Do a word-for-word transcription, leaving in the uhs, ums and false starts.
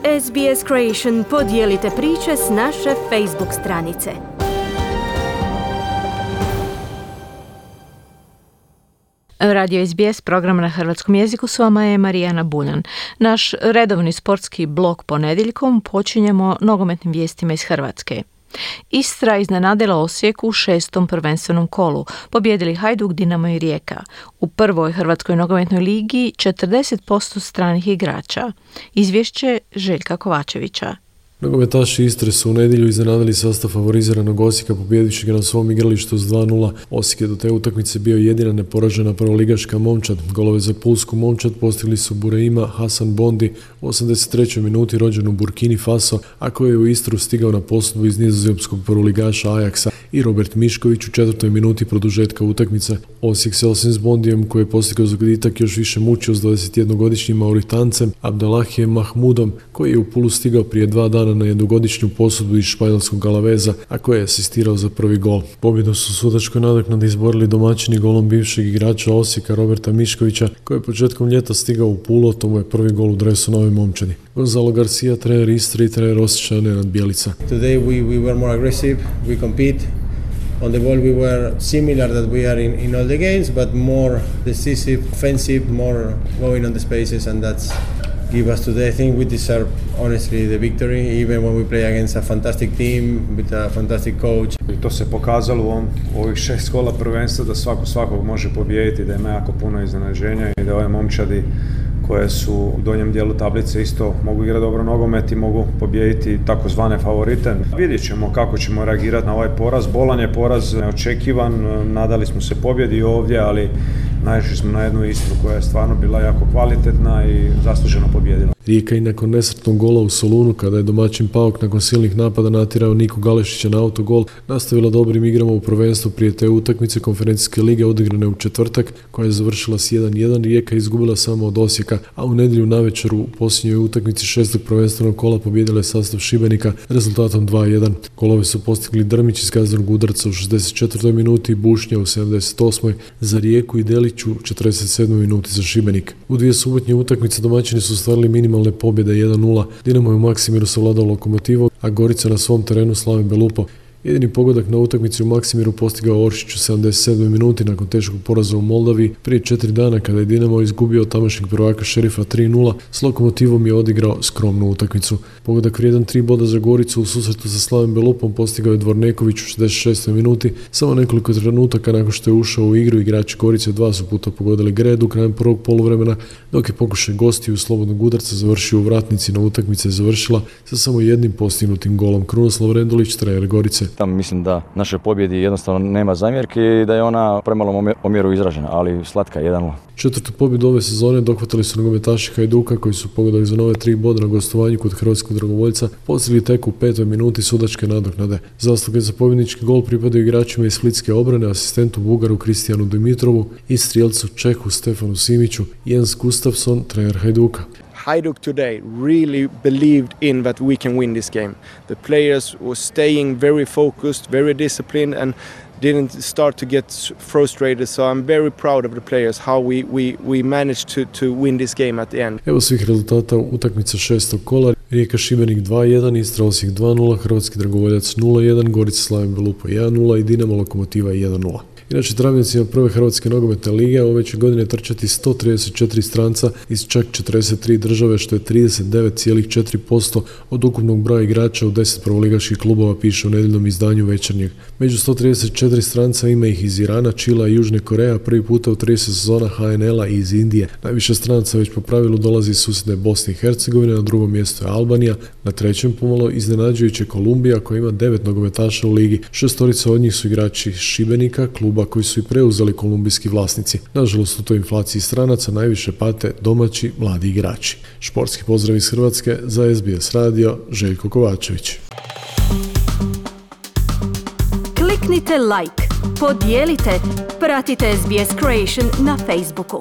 S B S Creation podijelite priče s naše Facebook stranice. Radio S B S, program na hrvatskom jeziku, s vama je Marijana Buljan. Naš redovni sportski blok ponedjeljkom počinjemo nogometnim vijestima iz Hrvatske. Istra iznenadila Osijek u šestom prvenstvenom kolu, pobijedili Hajduk, Dinamo i Rijeka. U prvoj Hrvatskoj nogometnoj ligi četrdeset posto stranih igrača. Izvješće Željka Kovačevića. Nogometaši Istre su u nedjelju iznenadili sastav favoriziranog Osijeka pobjedivši ga na svom igralištu s dva nula. Osijek je do te utakmice bio jedina neporažena prvoligaška momčad. Golove za pulsku momčad postigli su Bureima Hasan Bondi u osamdeset trećoj minuti, rođen u Burkini Faso, a koji je u Istru stigao na posudbu iz nizozemskog prvoligaša Ajaxa, i Robert Mišković u četvrtoj minuti produžetka utakmice. Osijek se osim s Bondijem, koji je postigao zagoditak, još više mučio s dvadesetjednogodišnjim Mauritancem Abdelahijem Mahmudom, koji je u Pulu stigao prije dva dana na jednogodišnju posudbu iz španjolskog Alaveza, a koji je asistirao za prvi gol. Pobjedu su sudačkoj nadoknadi izborili domaćini golom bivšeg igrača Osijeka Roberta Miškovića, koji je početkom ljeta stigao u Pulu, to mu je prvi gol u dresu Nove momčadi. Gonzalo Garcia, trener Istre i trener Osječana Nenad Bjelica. Today we, we were more aggressive, we compete. On the ball we were similar that we are in, in all the games, but more decisive, offensive, more going on the spaces, and that's give us today. I think we deserve honestly the victory, even when we play against a fantastic team with a fantastic coach. I to se pokazalo u ovom, ovih šest kola prvenstva da svako svakog može pobijediti, da ima jako puno iznenađenja i da ove momčadi koje su u donjem dijelu tablice isto mogu igrati dobro nogomet i mogu pobijediti takozvane favorite. Vidjet ćemo kako ćemo reagirati na ovaj poraz. Bolan je poraz neočekivan, nadali smo se pobjedi ovdje, ali naišli smo na jednu Istru koja je stvarno bila jako kvalitetna i zasluženo pobijedila. Rijeka i nakon nesretnog gola u Solunu, kada je domaćin Pauk nakon silnih napada natjerao Niku Galešića na autogol, nastavila dobrim igrama u prvenstvu prije te utakmice konferencijske lige odigrane u četvrtak, koja je završila s jedan jedan. Rijeka izgubila samo od Osijeka, a u nedjelju navečer u posljednjoj utakmici šestog prvenstvenog kola pobijedila je sastav Šibenika rezultatom dva jedan. Golove su postigli Drmić iz kaznenog udarca u šezdeset četvrtoj minuti i Bušnja u sedamdeset osmoj za Rijeku i Delić u četrdeset sedmoj minuti za Šibenik. U dvije subotnje utakmice domaćini su ostvarili minimalne pobjede jedan nula. Dinamo je u Maksimiru savladao Lokomotivu, a Gorica na svom terenu Slaven Belupo. Jedini pogodak na utakmici u Maksimiru postigao Oršić u sedamdeset sedmoj minuti nakon teškog poraza u Moldavi prije četiri dana, kada je Dinamo izgubio od tamošnjeg prvaka Šerifa tri nula. S Lokomotivom je odigrao skromnu utakmicu. Pogodak vrijedan tri boda za Goricu u susretu sa Slavem Belupom postigao je Dvorneković u šezdeset šestoj minuti. Samo nekoliko trenutaka nakon što je ušao u igru, igrači Gorice dva su puta pogodili Gredu krajem prvog poluvremena, dok je pokušaj gostiju slobodnog udarca završio u vratnici, na utakmica je završila sa samo jednim postignutim golom. Krunoslav Rendulić, trener Gorice. Tam mislim da našoj pobjedi jednostavno nema zamjerke i da je ona premalom omjeru izražena, ali slatka jedan nula. Četvrtu pobjedu ove sezone dohvatili su nogometaši Hajduka, koji su pogodili za nove tri boda na gostovanju kod hrvatskog dragovoljca, postigli tek u petoj minuti sudačke nadoknade. Zasluge za pobjednički gol pripadaju igračima iz splitske obrane, asistentu Bugaru Kristijanu Dimitrovu i strijelcu Čehu Stefanu Simiću. Jens Gustafsson, trener Hajduka. Hajduk today really believed in that we can win this game. The players were staying very focused, very disciplined, and didn't start to get frustrated. So I'm very proud of the players, how we, we, we managed to, to win this game at the end. Evo svih rezultata utakmice šestog kola. Rijeka Šibenik dva jedan, Istra Osijek dva nula, Hrvatski dragovoljac nula jedan, Gorica Slaven Belupo jedan nula i Dinamo Lokomotiva jedan nula. Inače, travnicima prve Hrvatske nogometne lige ove će godine trčati sto trideset četiri stranca iz čak četrdeset tri države, što je trideset devet zarez četiri posto od ukupnog broja igrača u deset prvoligaških klubova, piše u nedjeljnom izdanju Večernjeg. Među sto trideset četiri stranca ima ih iz Irana, Čila i Južne Koreje, a prvi puta u trideset sezona H N L-a i iz Indije. Najviše stranaca već po pravilu dolazi iz susjedne Bosne i Hercegovine, na drugom mjestu je Albanija, na trećem pomalo iznenađujuće Kolumbija, koja ima devet nogometaša u ligi. Šestorica od njih su igrači Šibenika, kluba koji su i preuzeli kolumbijski vlasnici. Nažalost, u toj inflaciji stranaca najviše pate domaći mladi igrači. Športski pozdrav iz Hrvatske za S B S radio, Željko Kovačević. Kliknite like, podijelite, pratite S B S Creation na Facebooku.